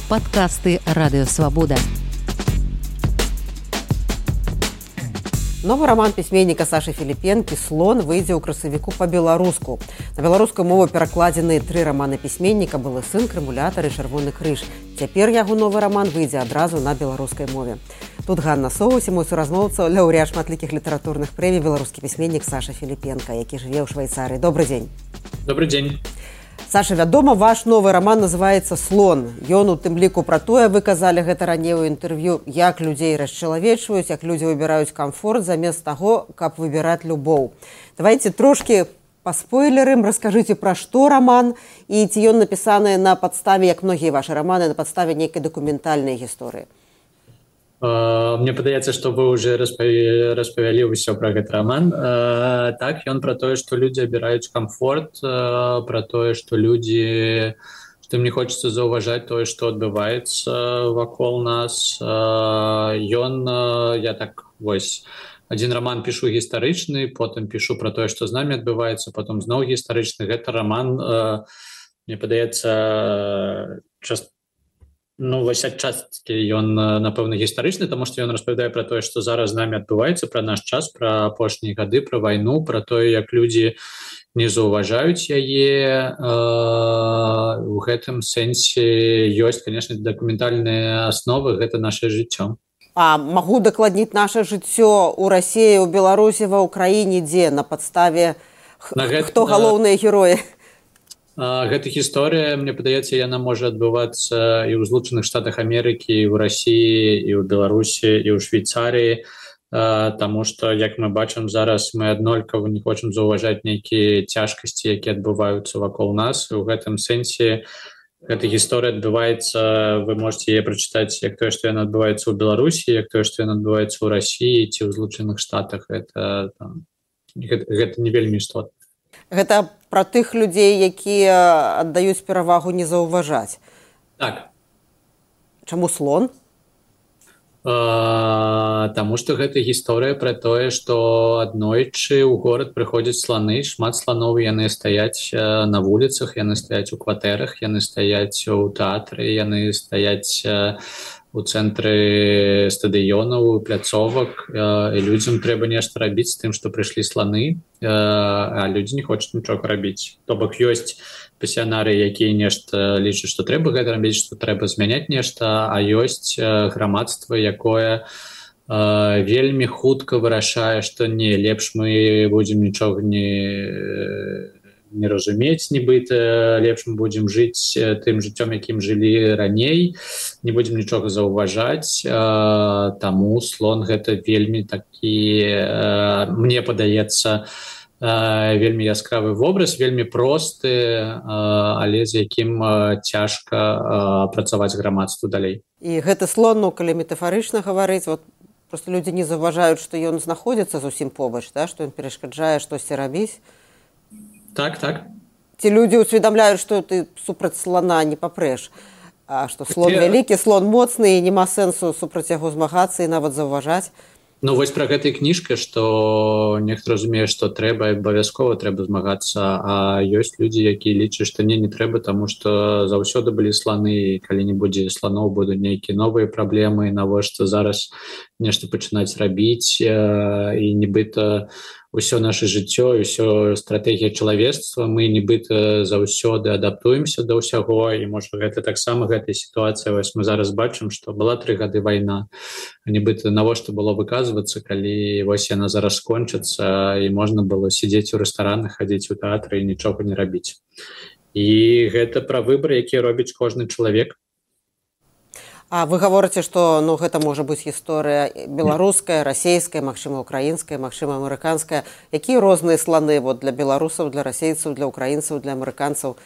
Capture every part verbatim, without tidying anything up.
Падкасты Радыёвабода. Новы раман пісьменніка Сашы Філіпенкі «Слон» выйдзе ў красавіку па-беларуску. На беларускую мову перакладзены тры раманы пісьменніка «Былы сын», «Крымулятар» і «Чырвоны крыж». Цяпер яго новы раман выйдзе адразу на беларускай мове. Тут Ганна Соус і мой суразмоўца, лаўрэат шматлікіх літаратурных прэмій, беларускі пісьменнік Саша Філіпенка, які жыве ў Швейцарыі. Добры дзень. Добрый дзень. Саша, вядома, ваш новы раман называецца «Слон». Ён у тым ліку пра тое, вы казалі гэта раней у інтэрв'ю, як людзей расчалавечваюць, як людзі выбіраюць камфорт замест таго, каб выбіраць любоў. Давайце трошкі па спойлерам, раскажыце, пра што раман і ці ён напісаны на падставе, як многія вашы раманы, на падставе нейкай дакументальнай гісторыі. Мне падаецца, што вы уже распавялі ўсё пра гэты раман. Так, ён пра тое, што людзі абіраюць камфорт, пра тое, што людзі, што ім не хочацца заўважаць тое, што адбываецца вакол нас. Ён, я так, вось, адзін раман пішу гістарычны, потым пішу пра тое, што з намі адбываецца, потым зноў гістарычны. Гэта раман, мне падаецца, часто Ну, вось адчасткі ён, напэўна, гістарычны, таму што ён распавядае пра тое, што зараз з намі адбываецца, пра наш час, пра апошнія гады, пра вайну, пра тое, як людзі не заўважаюць яе. У гэтым сэнсе ёсць, канешне, дакументальныя асновы, гэта нашае жыццё. А магу дакладніць наша жыццё ў Расіі, у Беларусі, ва ўкраіне, дзе на падставе хто галоўныя героі? Гэта гісторыя, мне падаецца, яна можа адбывацца і ў Злучаных Штатах Амерыкі, і ў Расіі, і ў Беларусі, і ў Швейцарыі, таму што, як мы бачым зараз, мы аднолькава не хочам заўважаць нейкія цяжкасці, якія адбываюцца вакол нас. У гэтым сэнсе гэта гісторыя адбываецца, вы можете яе прачытаць, як тое, што яна адбываецца ў Беларусі, як тое, што яна адбываецца ў Расіі ці ў Злучаных Штатах. Гэта, там, гэта, гэта не вельмі істотна. Гэта пра тых людзей, якія аддаюць перавагу не заўважаць. Так. Чаму слон? А, таму што гэта гісторыя пра тое, што аднойчы ў горад прыходзяць сланы, шмат сланоў, яны стаяць на вуліцах, яны стаяць у кватэрах, яны стаяць у тэатры, яны стаяць у цэнтры стадыёнаў, пляцовак, і людзям трэба нешта рабіць з тым, што прыйшлі сланы, а людзі не хочуць нічога рабіць. То бок ёсць пасіянары, якія нешта лічаць, што трэба гэта рабіць, што трэба змяняць нешта, а ёсць грамадства, якое вельмі хутка вырашае, што не, лепш мы будзем нічога не не разумець, нібыта, лепш мы будзем жыць тым жыццём, якім жылі раней, не будзем нічога заўважаць, таму слон гэта вельмі такі, мне падаецца, вельмі яскравы вобраз, вельмі просты, але з якім цяжка працаваць грамадству далей. І гэты слон, ну, калі метафарычна гаварыць, вот, проста людзі не заўважаюць, што ён знаходзіцца зусім побач, да? Што ён перашкаджае штосьці рабіць. Так, так. Ці людзі ўсведамляюць, што ты супраць слана не папрэш, а што слон вялікі, слон моцны, і няма сэнсу супраць яго змагацца і нават заўважаць. Ну, вось пра гэтай кніжка, што нехта разумее, што трэба, абавязкова трэба змагацца, а ёсць людзі, якія лічаць, што не, не трэба, таму што заўсёды былі сланы, і калі не будзе сланоў, будуць нейкія новыя праблемы, навошта зараз нешта пачынаць рабіць, і нібыта ўсё наша жыццё, ўсё стратэгія чалавецтва, мы нібыта заўсёды адаптуемся да ўсяго, і можа гэта таксама гэтая сітуацыя, вось мы зараз бачым, што была тры гады вайна, нібыта навошта было выказвацца, калі вось яна зараз скончыцца, і можна было сядзець у рэстаранах, хадзіць у тэатры і нічога не рабіць. І гэта пра выбар, які робіць кожны чалавек. А вы гаворыце, што, ну, гэта можа быць гісторыя беларуская, расейская, магчыма, украінская, магчыма, амерыканская. Якія розныя сланы вот, для беларусаў, для расейцаў, для украінцаў, для амерыканцаў?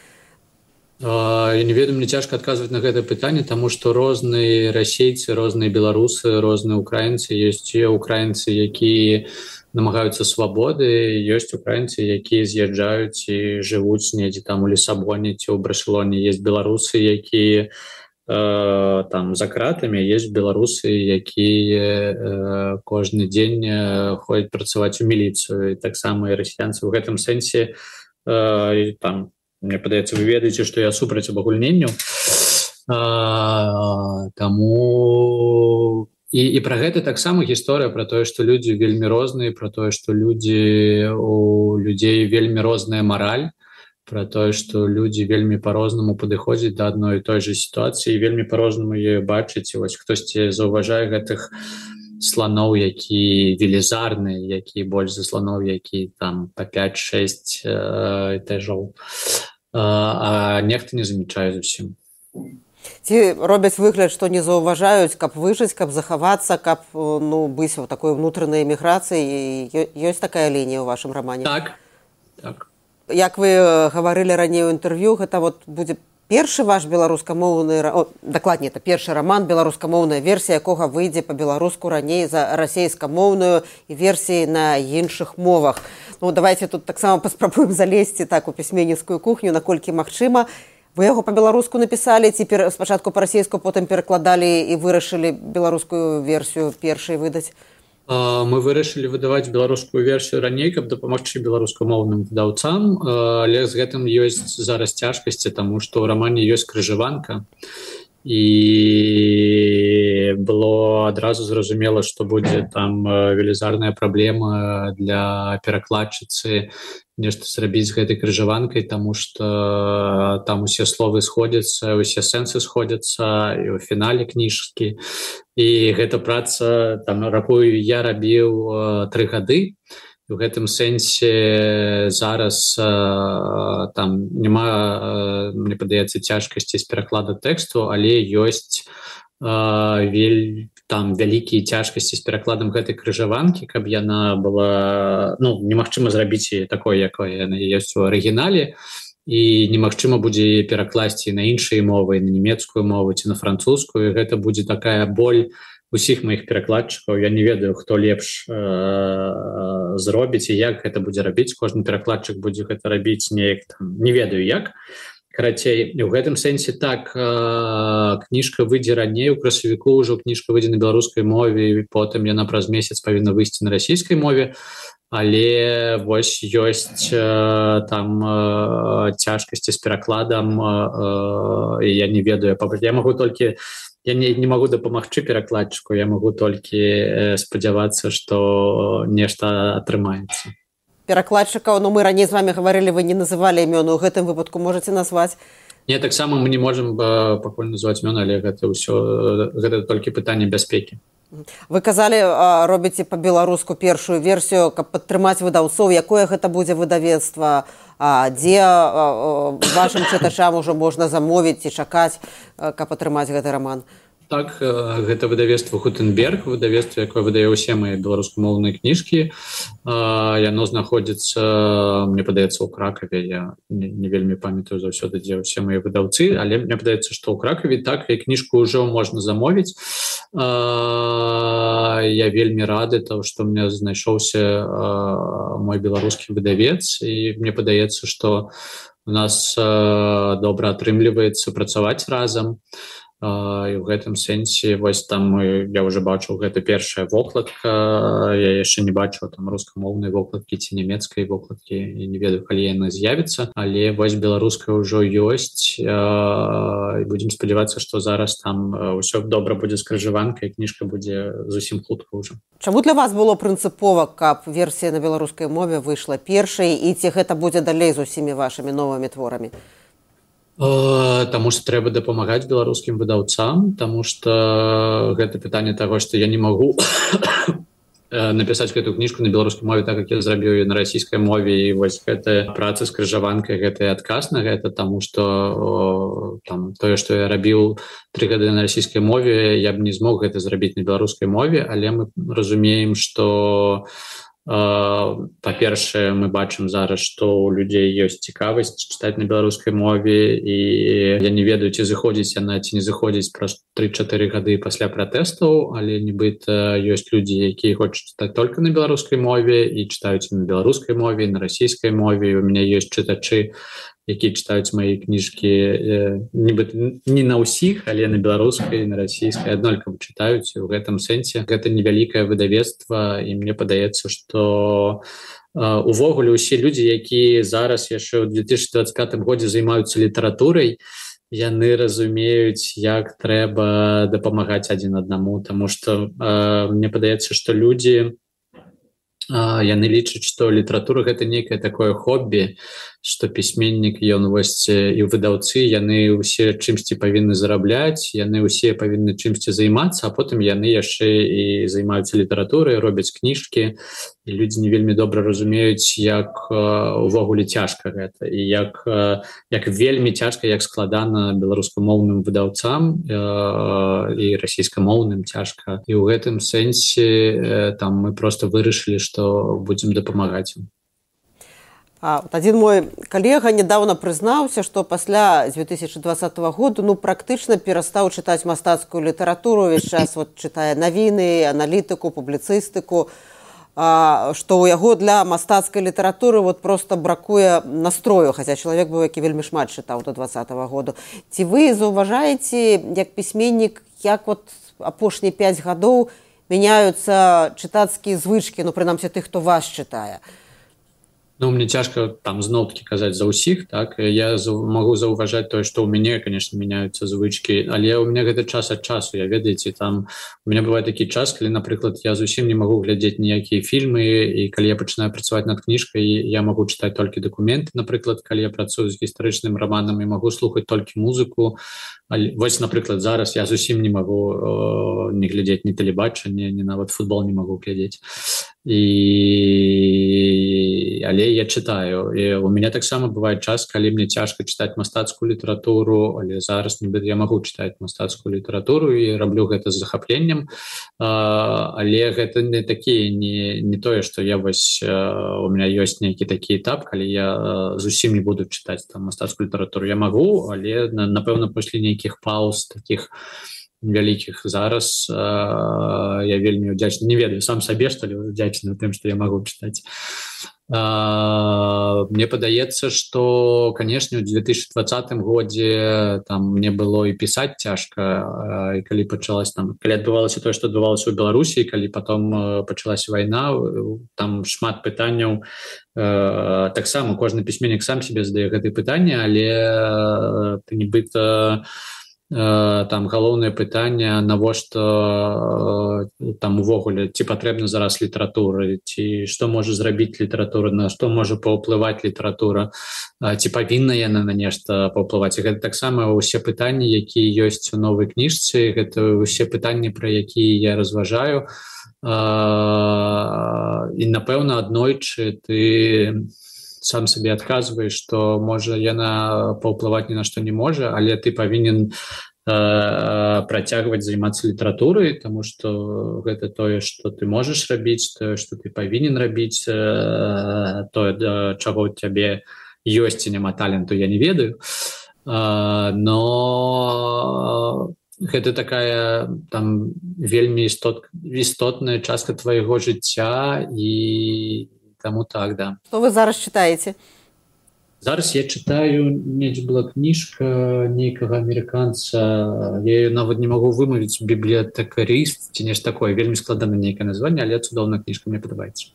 Я не ведаю, мне цяжка адказваць на гэта пытанне, таму што розныя расейцы, розныя беларусы, розныя украінцы. Ёсць тыя украінцы, якія намагаюцца свабоды, ёсць украінцы, якія з'язджаюць і жывуць недзе там у Лісабоне ці ў Барселоне. Ёсць беларусы, якія там за кратамі, ёсць беларусы, якія кожны дзень ходзяць працаваць у міліцыю, і таксама і расіянцы. У гэтым сэнсе там, мне падаецца, вы ведаеце, што я супраць абагульненняў, Таму і, і пра гэта таксама гісторыя пра тое, што людзі вельмі розныя, пра тое, што людзі у людзей вельмі розная мараль, пра тое, што людзі вельмі па-рознаму падыходзяць да адной і той жа сітуацыі, вельмі па-рознаму яе бачыць. Вось хтосьці заўважае гэтых слоноў, які велізарны, які больш за слоноў, які там па пяць-шэсць э, этажоў, а нехта не замечае зусім. Ці робяць выгляд, што не заўважаюць, каб выжыць, каб захавацца, каб ну, быць у такой унутранай эміграцыі. Ёсць такая лінія ў вашым рамане? Так, так. Як вы гаварылі раней у інтэрв'ю, гэта вот будзе першы ваш беларускамоўны, о, дакладней, это першы раман, беларускамоўная версія, якога выйдзе па-беларуску раней за расейскамоўную і версіі на іншых мовах. Ну, давайте тут таксама паспрабуем залезці так у пісьменніцкую кухню, наколькі магчыма. Вы яго па-беларуску напісалі, ці спачатку па-расейску, потым перакладалі і вырашылі беларускую версію першай выдаць? Мы вырашылі выдаваць беларускую версію раней, каб дапамагчы беларускамоўным выдаўцам, але з гэтым ёсць зараз цяжкасці, таму што ў рамане ёсць крыжаванка. І было адразу зразумела, што будзе там велізарная праблема для перакладчыцы нешта зрабіць з гэтай крыжаванкай, таму што там усе словы сходзяцца, усе сэнсы сходзяцца і ў фінале кніжкі. І гэта праца, там, рахую, я рабіў тры гады. У гэтым сэнсе зараз там няма, мне падаецца, цяжкасці з пераклада тэксту, але ёсць вель, там вялікія цяжкасці з перакладам гэтай крыжаванкі, каб яна была, ну, немагчыма зрабіць яе такой, якой яна ёсць у арыгінале, і немагчыма будзе перакласці на іншыя мовы, на нямецкую мову ці на французскую. Гэта будзе такая боль усіх маіх перакладчыкаў. Я не ведаю, хто лепш э, зробіць і як гэта будзе рабіць. Кожны перакладчык будзе гэта рабіць неяк там, не ведаю як. Карацей, у гэтым сэнсе так, э, кніжка выйдзе раней, у красавіку ўжо кніжка выйдзе на беларускай мове, і потым яна праз месяц павінна выйсці на расійскай мове. Але вось ёсць э, там э, цяжкасці з перакладам, э, і я не ведаю, я магу толькі Я не, не магу дапамагчы перакладчыку, я магу толькі спадзявацца, што нешта атрымаецца. Перакладчыкаў, ну мы раней з вами гаварылі, вы не называлі імёны, у гэтым выпадку можаце назваць? Не, таксама мы не можам пакуль называць імёны, але гэта ўсё, гэта толькі пытанне бяспекі. Вы казалі, робіце па-беларуску першую версію, каб падтрымаць выдаўцоў. Якое гэта будзе выдавецтва? Дзе вашым чытачам ужо можна замовіць і чакаць, каб атрымаць гэты раман? Так, гэта выдавецтва Гутенберг, выдавецтва, якое выдае ўсе мае беларускамоўныя кніжкі. Яно знаходзіцца, мне падаецца, у Кракаве. Я не, не вельмі памятаю заўсёды, дзе ўсе мае выдаўцы, але мне падаецца, што ў Кракаве так, і кніжку ўжо можна замовіць. Я вельмі рады, тому што у меня знайшоўся мой беларускі выдавец, і мне падаецца, што у нас добра атрымліваецца працаваць разам. І ў гэтым сэнсе вось там я ўжо бачыў, гэта першая вокладка, я яшчэ не бачыў там рускамоўнай вокладкі ці нямецкай вокладкі, я не ведаю, калі яна з'явіцца, але вось беларуская ўжо ёсць, і будзем спадзявацца, што зараз там ўсё добра будзе з крыжаванкай, кніжка будзе зусім хутка ўжо. Чаму для вас было прынцыпова, каб версія на беларускай мове выйшла першай, і ці гэта будзе далей з усімі вашымі новымі творамі? Таму што трэба дапамагаць беларускім выдаўцам, таму што гэта пытанне таго, што я не магу напісаць гэту кніжку на беларускай мове, так як я зрабіў ее на расійскай мове, і вось гэтая праца з крыжаванкай, гэта адказ на гэта, таму што там тое, што я рабіў тры гады на расійскай мове, я б не змог гэта зрабіць на беларускай мове, але мы разумеем, што па-першае, мы бачым зараз, што ў людзей ёсць цікавасць чытаць на беларускай мове, і я не ведаю, ці заходзіць яна, ці не заходзіць праз тры-чатыры гады пасля пратэстаў, але нібыта ёсць людзі, якія хочуць чытаць толькі на беларускай мове і чытаюць на беларускай мове, на расійскай мове. У мяне ёсць чытачы, якія чытаюць мае кніжкі нібыта не на ўсіх, але на беларускай, на расійскай аднолькава чытаюць. У гэтым сэнсе гэта невялікае выдавецтва, і мне падаецца, што увогуле ўсе людзі, якія зараз яшчэ ў две тысячы дваццаць пятым годзе займаюцца літаратурай, яны разумеюць, як трэба дапамагаць адзін аднаму, таму што э, мне падаецца, што людзі яны лічаць, што літаратура гэта нейкае такое хобі, што пісьменнік ён вось і выдаўцы яны ўсе чымсьці павінны зарабляць, яны ўсе павінны чымсьці займацца, а потым яны яшчэ і займаюцца літаратурай, робяць кніжкі, і людзі не вельмі добра разумеюць, як увогуле цяжка гэта і як, як вельмі цяжка, як складана беларускамоўным выдаўцам і расійскамоўным цяжка. І ў гэтым сэнсе там мы проста вырашылі, што будзем дапамагаць ім. А, вот один мой калега недавно признаўся, што пасля две тысячи двадцатого года ну, практычна перастаў чытаць мастацкую літаратуру, увесь час вот, чытае навіны, аналітыку, публіцыстыку, а, што ў яго для мастацкай літаратуры вот, просто бракуе настрою, хаця чалавек быў, які вельмі шмат чытаў до двадцатого года. Ці вы заўважаеце, як пісьменнік, як вот апошнія пяць гадоў мяняюцца чытацкія звычкі, ну, прынамсі тых, хто вас чытае? Ну, мне цяжка там зноў-такі казаць за ўсіх, так, я магу заўважаць тое, што ў мяне, конечно, мяняюцца звычкі, але ў мяне гэта час ад часу, я ведаеце, там, у мяне бывае такі час, калі, напрыклад, я зусім не магу глядзець ніякія фільмы, і калі я пачынаю працаваць над кніжкай, я магу чытаць толькі дакументы, напрыклад, калі я працую з гістарычным раманам, і магу слухаць толькі музыку, але, вось, напрыклад, зараз я зусім не магу э, не глядзець ні тэлебачанне, ні нават футбол не магу глядзець. І... але я чытаю. І у мяне таксама бывае час, калі мне цяжка чытаць мастацкую літаратуру, але зараз нібыта я магу чытаць мастацкую літаратуру і раблю гэта з захапленнем. А, але гэта не такі, не, не тое, што я вось, у меня ёсць нейкі такі этап, калі я зусім не буду чытаць там мастацкую літаратуру. Я магу, але, напэўна, пасля нейкіх пауз такіх вялікіх зараз э, я вельмі удзячны, не ведаю сам сабе, што ли удзячны тым, што я магу чытаць. Э, мне падаецца, што, канешне, у две тысячи двадцатым годзе там мне было і пісаць цяжка, і калі пачалась там, калі адбывалася тое, што адбывалася ў Беларусі, калі потом пачалася вайна, там шмат пытанняў. Э, таксама кожны пісьменнік сам себе задае гэтые пытанні, але ты нібыта там галоўнае пытанне, навошта там увогуле, ці патрэбна зараз літаратура, ці што можа зрабіць літаратура, на што можа паўплываць літаратура, ці павінна яна на нешта паўплываць. І гэта таксама ўсе пытанні, якія ёсць у новай кніжцы, гэта ўсе пытанні, пра якія я разважаю. І, напэўна, аднойчы ты сам сабе адказваеш, што можа яна паўплываць ні на што не можа, але ты павінен э, працягваць займацца літаратурай, таму што гэта тое, што ты можаш рабіць, тое, што ты павінен рабіць, э, тое, да чаго ў цябе ёсць і няма таленту, я не ведаю. Э, но гэта такая там вельмі істот, істотная частка твайго жыцця, і таму так, да. Што вы зараз чытаеце? Зараз я чытаю, недзе была кніжка нейкага амерыканца, я ее нават не магу вымавіць, бібліятэкарыст, ці нешта такое, вельмі складана нейкае названне, але цудоўная кніжка, мне падабаецца.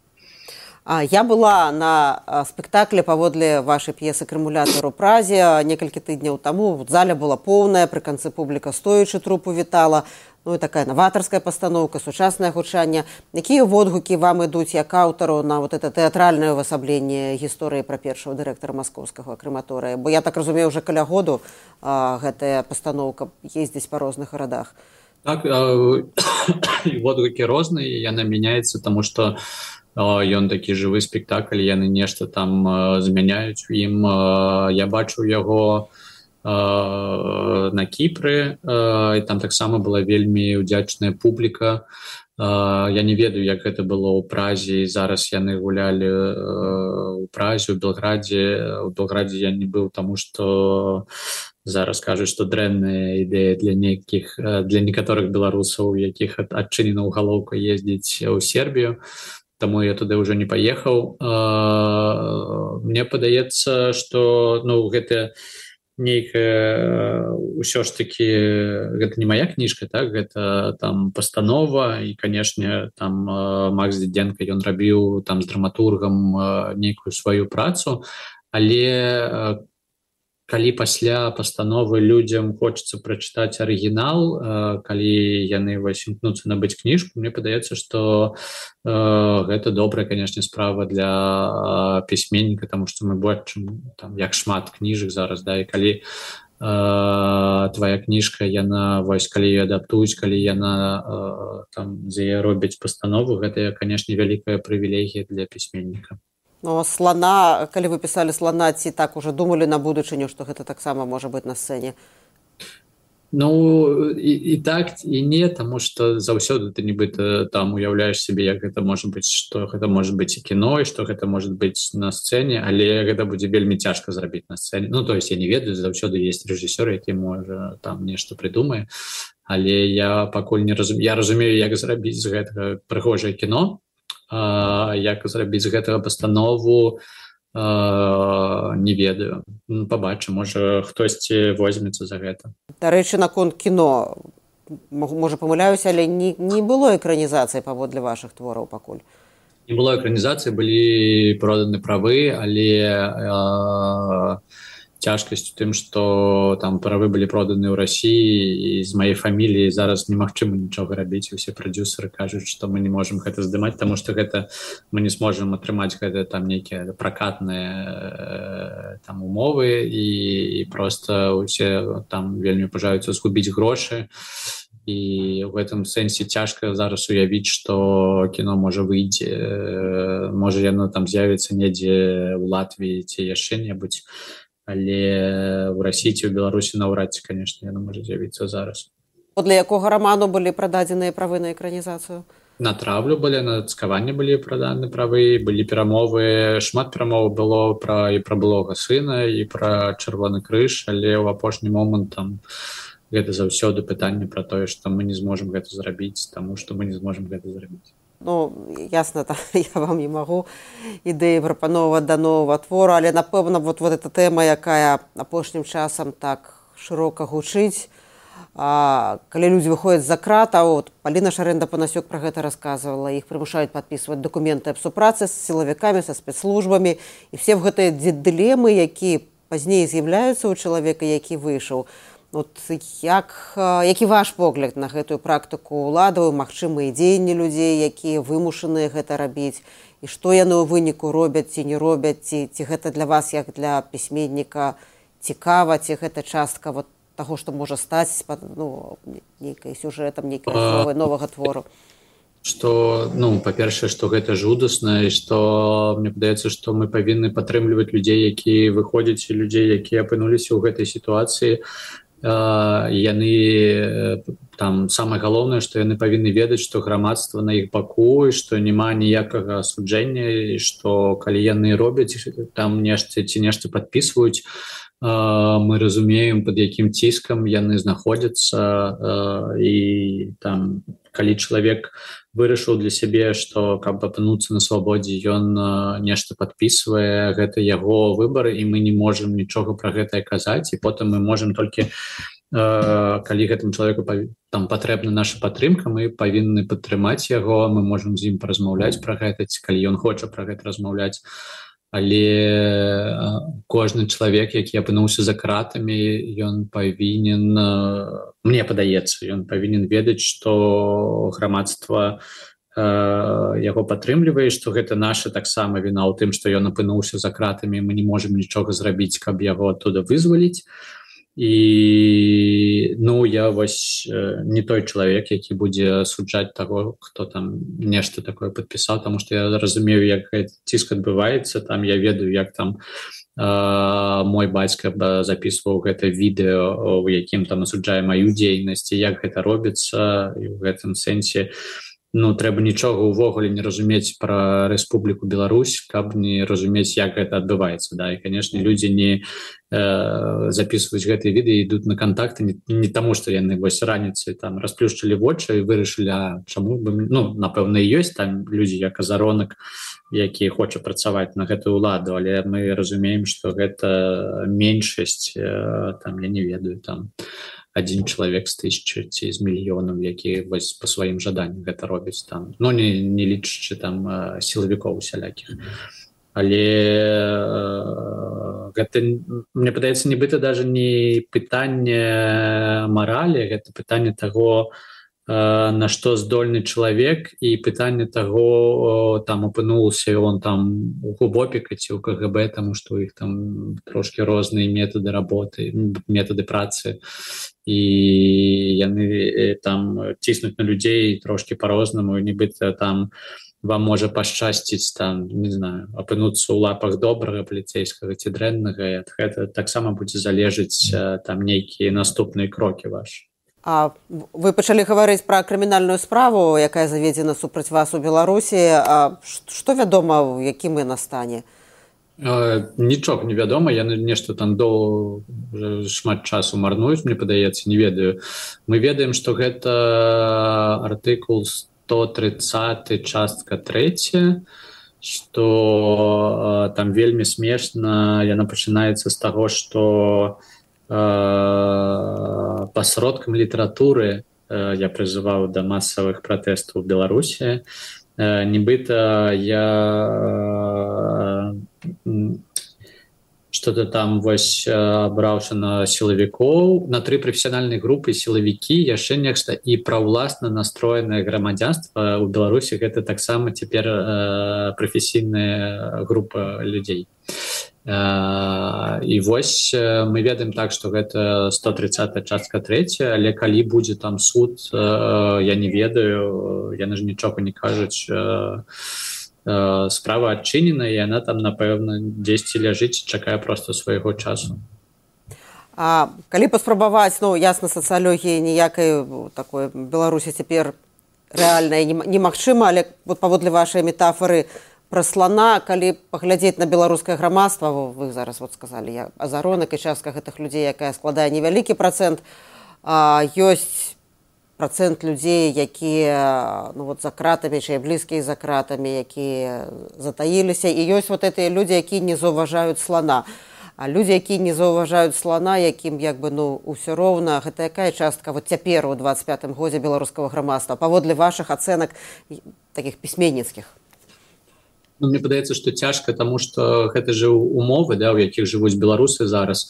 А, я была на спектаклі паводле вашай п'есы «Крымулятар» у Празе некалькі тыдняў таму. В зале была поўная, пры канцы публіка стоячы трупу вітала. Ну і такая новаторская пастаноўка, сучаснае гучанне. Якія водгукі вам ідуць як аўтару на вот это тэатральнае ўвасабленне гісторыі пра першага дырэктара маскоўскага крэматорыя? Бо я так разумею, уже каля году а, гэтая пастаноўка ездзіць па розных гарадах. Так, водгукі розныя, яна мяняецца, таму што ён такі жывы спектакль, яны нешта там змяняюць у ім. Я бачу яго на Кіпры, і там таксама была вельмі ўдзячная публіка. Я не ведаю, як гэта было ў Празе, і зараз яны гулялі ў Празе, у Белградзе. У Белградзе я не быў, таму што зараз кажуць, што дрэнная ідэя для нейкіх, для некаторых беларусаў, якіх адчынена ўгалоўка ездзіць у Сербію. Таму я туды ўжо не паехаў. Мне падаецца, што ну, гэта нейкая ўсё ж такі гэта не моя кніжка, так, гэта там пастанова, і, канешне, там Макс Дідзенка, ён рабіў там з драматургам нейкую сваю працу, але калі пасля пастановы людзям хочацца прачытаць арыгінал, калі яны вось імкнуцца набыць кніжку, мне падаецца, што э, гэта добрая, канешне, справа для пісьменніка, таму што мы бачым там як шмат кніжак зараз, да, і калі э, твая кніжка, яна вось калі яе адаптуюць, калі яна э, там за яе робяць пастанову, гэта, канешне, вялікая прывілегія для пісьменніка. Ну, слана, калі вы пісалі слана, ці так уже думалі на будучыню, што гэта таксама можа быць на сцэне? Ну, і, і так, і не, таму што заўсёды ты нібыта там уяўляеш сябе, як гэта можа быць, што гэта можа быць і кіно, і што гэта можа быць на сцэне, але гэта будзе вельмі цяжка зрабіць на сцэне. Ну, то есть я не ведаю, заўсёды ёсць рэжысёр, які можа там нешта прыдумае, але я пакуль не разумею, я разумею, як зрабіць з гэтага прыгожае кіно, а, як зрабіць з гэтага пастанову, а, не ведаю. Пабачым, можа хтосьці возьмецца за гэта. Дарэчы, наконт кіно, можа памыляюся, але не, не было экранізацыі паводле вашых твораў пакуль? Не было экранізацыі, былі проданы правы, але а, цяжкасць у тым, што там правы былі проданы ў Расіі, і з маёй фаміліі зараз немагчыма нічога рабіць. Усе прадзюсары кажуць, што мы не можам гэта здымаць, таму што гэта мы не зможам атрымаць гэта там нейкія пракатныя там умовы, і, і проста усе там вельмі пажаюцца згубіць грошы. І ў гэтым сэнсе цяжка зараз уявіць, што кіно можа выйдзе, можа яно там з'явіцца недзе ў Латвіі ці яшчэ небудзь. Але ў Расіі ці ў Беларусі наўрад ці, канешне, яно можа з'явіцца зараз. Для якога раману былі прададзеныя правы на экранізацыю? На травлю былі, на цкаванне былі праданы правы, былі перамовы, шмат перамоваў было пра, і пра былога сына, і пра Чырвоны крыж, але ў апошні момант там гэта заўсёды пытанне пра тое, што мы не зможам гэта зрабіць, таму што мы не зможам гэта зрабіць. Ну, ясна, там, я вам не магу ідэі прапановваць да новага твору, але, напэўна, вот, вот эта тэма, якая апошнім часам так шырока гучыць, а, калі людзі выходзяць за крат, а вот Паліна Шарэнда-Панасюк пра гэта расказвала, іх прымушаюць падпісваць дакументы аб супрацы з сілавікамі, са спецслужбамі, і все гэтыя дылемы, які пазней з'яўляюцца ў чалавека, які выйшаў. Вот як, які ваш погляд на гэтую практыку ўладаў, магчымыя дзеянні людзей, якія вымушаныя гэта рабіць, і што яны ў выніку робяць ці не робяць, ці, ці гэта для вас, як для пісьменніка, цікава, ці гэта частка вот таго, што можа стаць ну, нейкай сюжэтам, нейкай асновай новага твору? Што, ну, па-першае, што гэта жудасна, і што мне падаецца, што мы павінны падтрымліваць людзей, якія выходзяць, і людзей, якія апынуліся ў гэтай сітуацыі. Uh, яны там самае галоўнае, што яны павінны ведаць, што грамадства на іх баку, і што няма ніякага асуджэння, і што калі яны робяць там нешта ці нешта падпісваюць, uh, мы разумеем, пад якім ціскам яны знаходзяцца, uh, і там калі чалавек вырашыў для сябе, што каб апынуцца на свабодзе, ён нешта падпісвае, гэта яго выбар, і мы не можам нічога пра гэта казаць, і потым мы можам толькі, калі гэтым чалавеку там патрэбна наша падтрымка, мы павінны падтрымаць яго, мы можам з ім паразмаўляць пра гэта, ці калі ён хоча пра гэта размаўляць. Але кожны чалавек, які апынуўся за кратамі, ён павінен, мне падаецца, ён павінен ведаць, што грамадства яго падтрымлівае, што гэта наша таксама віна ў тым, што ён апынуўся за кратамі, мы не можам нічога зрабіць, каб яго адтуда вызваліць. І, ну, я вось не той чалавек, які будзе асуджаць таго, хто там нешта такое падпісаў, таму што я разумею, як гэты ціск адбываецца, там я ведаю, як там э, мой бацька запісваў гэта відэо, у якім там асуджае маю дзейнасць, і як гэта робіцца, і ў гэтым сэнсе ну, трэба нічога ўвогуле не разумець пра Рэспубліку Беларусь, каб не разумець, як гэта адбываецца. Да? І, канешне, людзі не э, запісваюць гэтыя відэа, ідуць на кантакты не, не таму, што яны вось раніцай там расплюшчылі вочы і вырашылі, а чаму бы... Ну, напэўна, і ёсць там людзі, як Азаронак, які хоча працаваць на гэтую ўладу, але мы разумеем, што гэта меншасць, э, там, я не ведаю, там... один чалавек з тысячы ці з мільёнаў, які вось па сваім жаданні гэта робіць там, ну не, не лічачы там сілавікоў усялякіх. Але гэта, мне падаецца, нібыта даже не пытанне маралі, гэта пытанне таго, на што здольны чалавек, і пытанне таго, там апынуўся он там у губопіка ці ў КГБ, таму што ў іх там трошки розныя метады работы, метады працы, і яны там ціснуць на людзей трошки по-рознаму, нібыта там вам можа пашчасціць там, не знаю, апынуцца ў лапах добрага паліцейскага ці дрэннага, і ад гэта таксама будзе залежыць там нейкія наступныя крокі вашы. А вы пачалі гаварыць пра крымінальную справу, якая заведзена супраць вас у Беларусі. А што вядома, у якім яна стане? Э, нічога не вядома, яны нешта там до шмат часу марнуюць, мне падаецца, не ведаю. Мы ведаем, што гэта артыкул сто тридцать частка третья, што э, там вельмі смешна, яна пачынаецца з таго, што пасродкам літаратуры я прызываў да масавых пратэстаў у Беларусі. Нібыта я что-то там вось абраўся на сілавікоў, на тры прафесіянальныя групы сілавікі, яшчэ нешта, і праўласна настроенае грамадзянства ў Беларусі гэта таксама цяпер прафесійная група людзей. Uh, і вось uh, мы ведаем так, што гэта сто тридцать частка третья, але калі будзе там суд, uh, я не ведаю, яны ж нічога не кажуць. Uh, uh, справа адчынена, і яна там, напэўна, дзесьці ляжыць, чакае проста свайго часу. А калі паспрабаваць, ну, ясна, сацыялогіі ніякай такой Беларусі цяпер рэальнай немагчыма, але вот паводле вашай метафоры пра слана, калі паглядзець на беларускае грамадства, вы зараз вот сказалі, азаронак і частка гэтых людзей, якая складае невялікі працэнт, а, ёсць працэнт людзей, якія ну, вот, за кратамі, чыя блізкія за кратамі, якія затаіліся, і ёсць вот гэтыя людзі, якія не заўважаюць слана. А людзі, якія не заўважаюць слана, якім як бы ну ўсё роўна, гэта якая частка вот цяпер у двадцать пятым годзе беларускага грамадства, паводле вашых ацэнак такіх пісьменніцкіх? Ну, мне падаецца, што цяжка, таму што гэта ж умовы, да, у якіх жывуць беларусы зараз.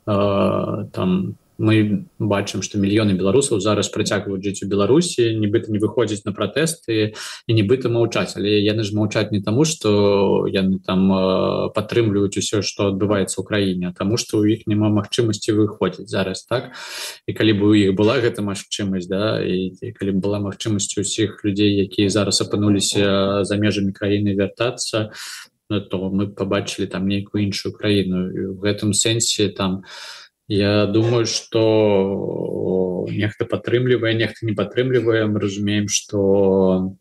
Э, там мы бачым, што мільёны беларусаў зараз працягваюць жыць у Беларусі, нібыта не выходзяць на пратэсты і нібыта маўчаць, але яны ж маўчаць не таму, што яны там э, падтрымліваюць усё, што адбываецца ў краіне, а таму, што ў іх няма магчымасці выходзіць зараз, так? І калі б у іх была гэта магчымасць, да, і, і калі б была магчымасць усіх людзей, якія зараз апынуліся за межамі краіны вяртацца, ну, то мы пабачылі там нейкую іншую краіну. І ў гэтым сэнсе там я думаю, што нехта падтрымлівае, нехта не падтрымлівае. Мы разумеем, што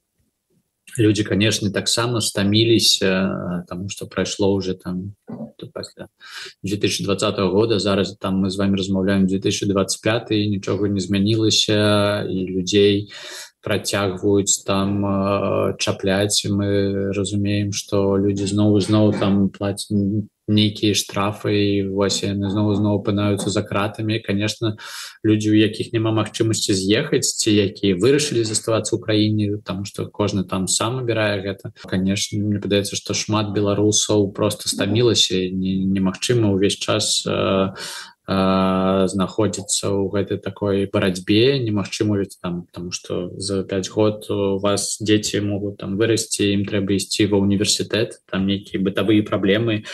людзі, канешне, таксама стаміліся, таму што прайшло ўжо там пасля две тысячи двадцатого года, зараз там мы з вами размаўляем две тысячи двадцать пятый, нічога не змянілася, і людзей працягваюць там чапляць. Мы разумеем, што людзі зноў зноў там плацяць нейкія штрафы, і вось яны зноў зноў апынаюцца за кратамі. Конечно, людзі, у якіх няма магчымасці з'ехаць, ці якія вырашылі заставацца ў краіне, таму што кожны там сам абірае гэта. Конечно, мне падаецца, што шмат беларусаў проста стамілася, немагчыма ўвесь час э, знаходзіцца ў гэтай такой барацьбе, немагчыма ведь там, потому что за пять год у вас дзеці могуць там вырасці, ім трэба ісці ва універсітэт, там нейкія бытавыя праблемы,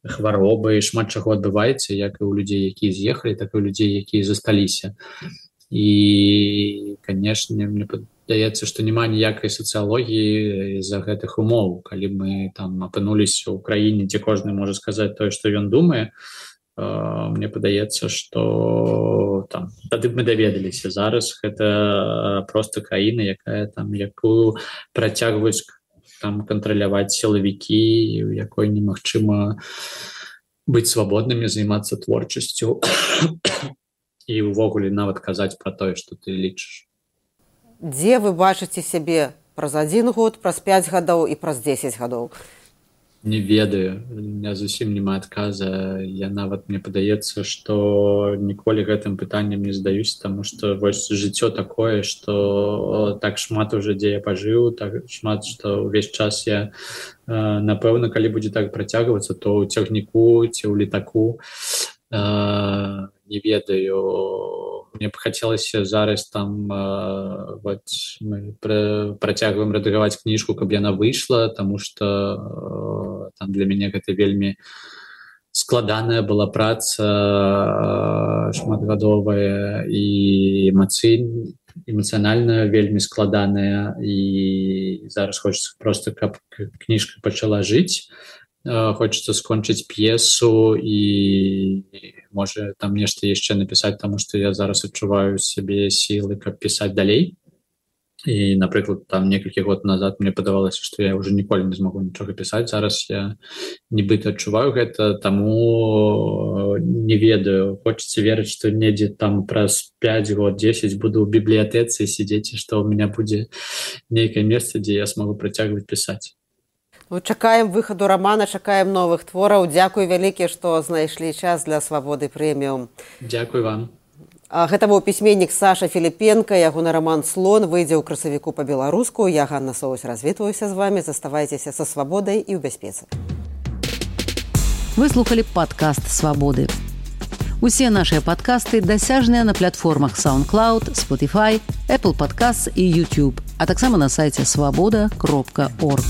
хваробы, шмат чаго адбываецца, як і ў людзей, якія з'ехалі, так і ў людзей, якія засталіся. І, канешне, мне падаецца, што няма ніякай сацыялогіі з-за гэтых умоў. Калі мы там апынуліся ў краіне, дзе кожны можа сказаць тое, што ён думае, мне падаецца, што там тады мы даведаліся. Зараз гэта проста краіна, якая там якую працягваюць там кантраляваць сілавікі, у якой немагчыма быць свабоднымі, займацца творчасцю і ўвогуле нават казаць пра тое, што ты лічыш. Дзе вы бачыце сябе праз адзін год, праз пяць гадоў і праз дзесяць гадоў? Не ведаю, у меня зусім няма адказа. Я нават мне падаецца, што ніколі гэтым пытаннем не здаюсь, таму што вось жыццё такое, што так шмат уже дзе я пажыў, так шмат, што ўвесь час я, напэўна, калі будзе так працягвацца, то ў цягніку ці ў літаку, не ведаю. Мне б хацелася зараз там вот, мы працягваем рэдагаваць кніжку, каб яна выйшла, таму што там для мяне гэта вельмі складаная была праца, шматгадовая і эмацыйная, эмацыянальна вельмі складаная, і зараз хочацца проста, каб кніжка пачала жыць. Хочется скончыць п'есу і можа там нешта яшчэ напісаць, таму што я зараз адчуваю сябе сілы, каб пісаць далей. І, напрыклад, там некалькі год назад мне падавалася, што я ўжо ніколі не змогу нічога пісаць. Зараз я нібыта адчуваю гэта, таму не ведаю. Хочацца верыць, што недзе там праз пяць год, дзесяць буду ў бібліятэцы сядзець, і што ў меня будзе нейкае месца, дзе я смогу працягваць пісаць. Чакаем выхаду рамана, чакаем новых твораў. Дзякуй вялікі, што знайшлі час для Свабоды прэміум. Дзякуй вам. Гэта быў пісьменнік Саша Філіпенка. Ягоны раман «Слон» выйдзе ў красавіку па-беларуску. Я, Ганна Соусь, развітваюся з вамі. Заставайцеся са свабодай і ў бяспецы. Вы слухалі падкаст «Свабоды». Усе нашыя падкасты дасяжныя на платформах SoundCloud, Spotify, Apple Podcasts і YouTube, а таксама на сайце свабода кропка орг.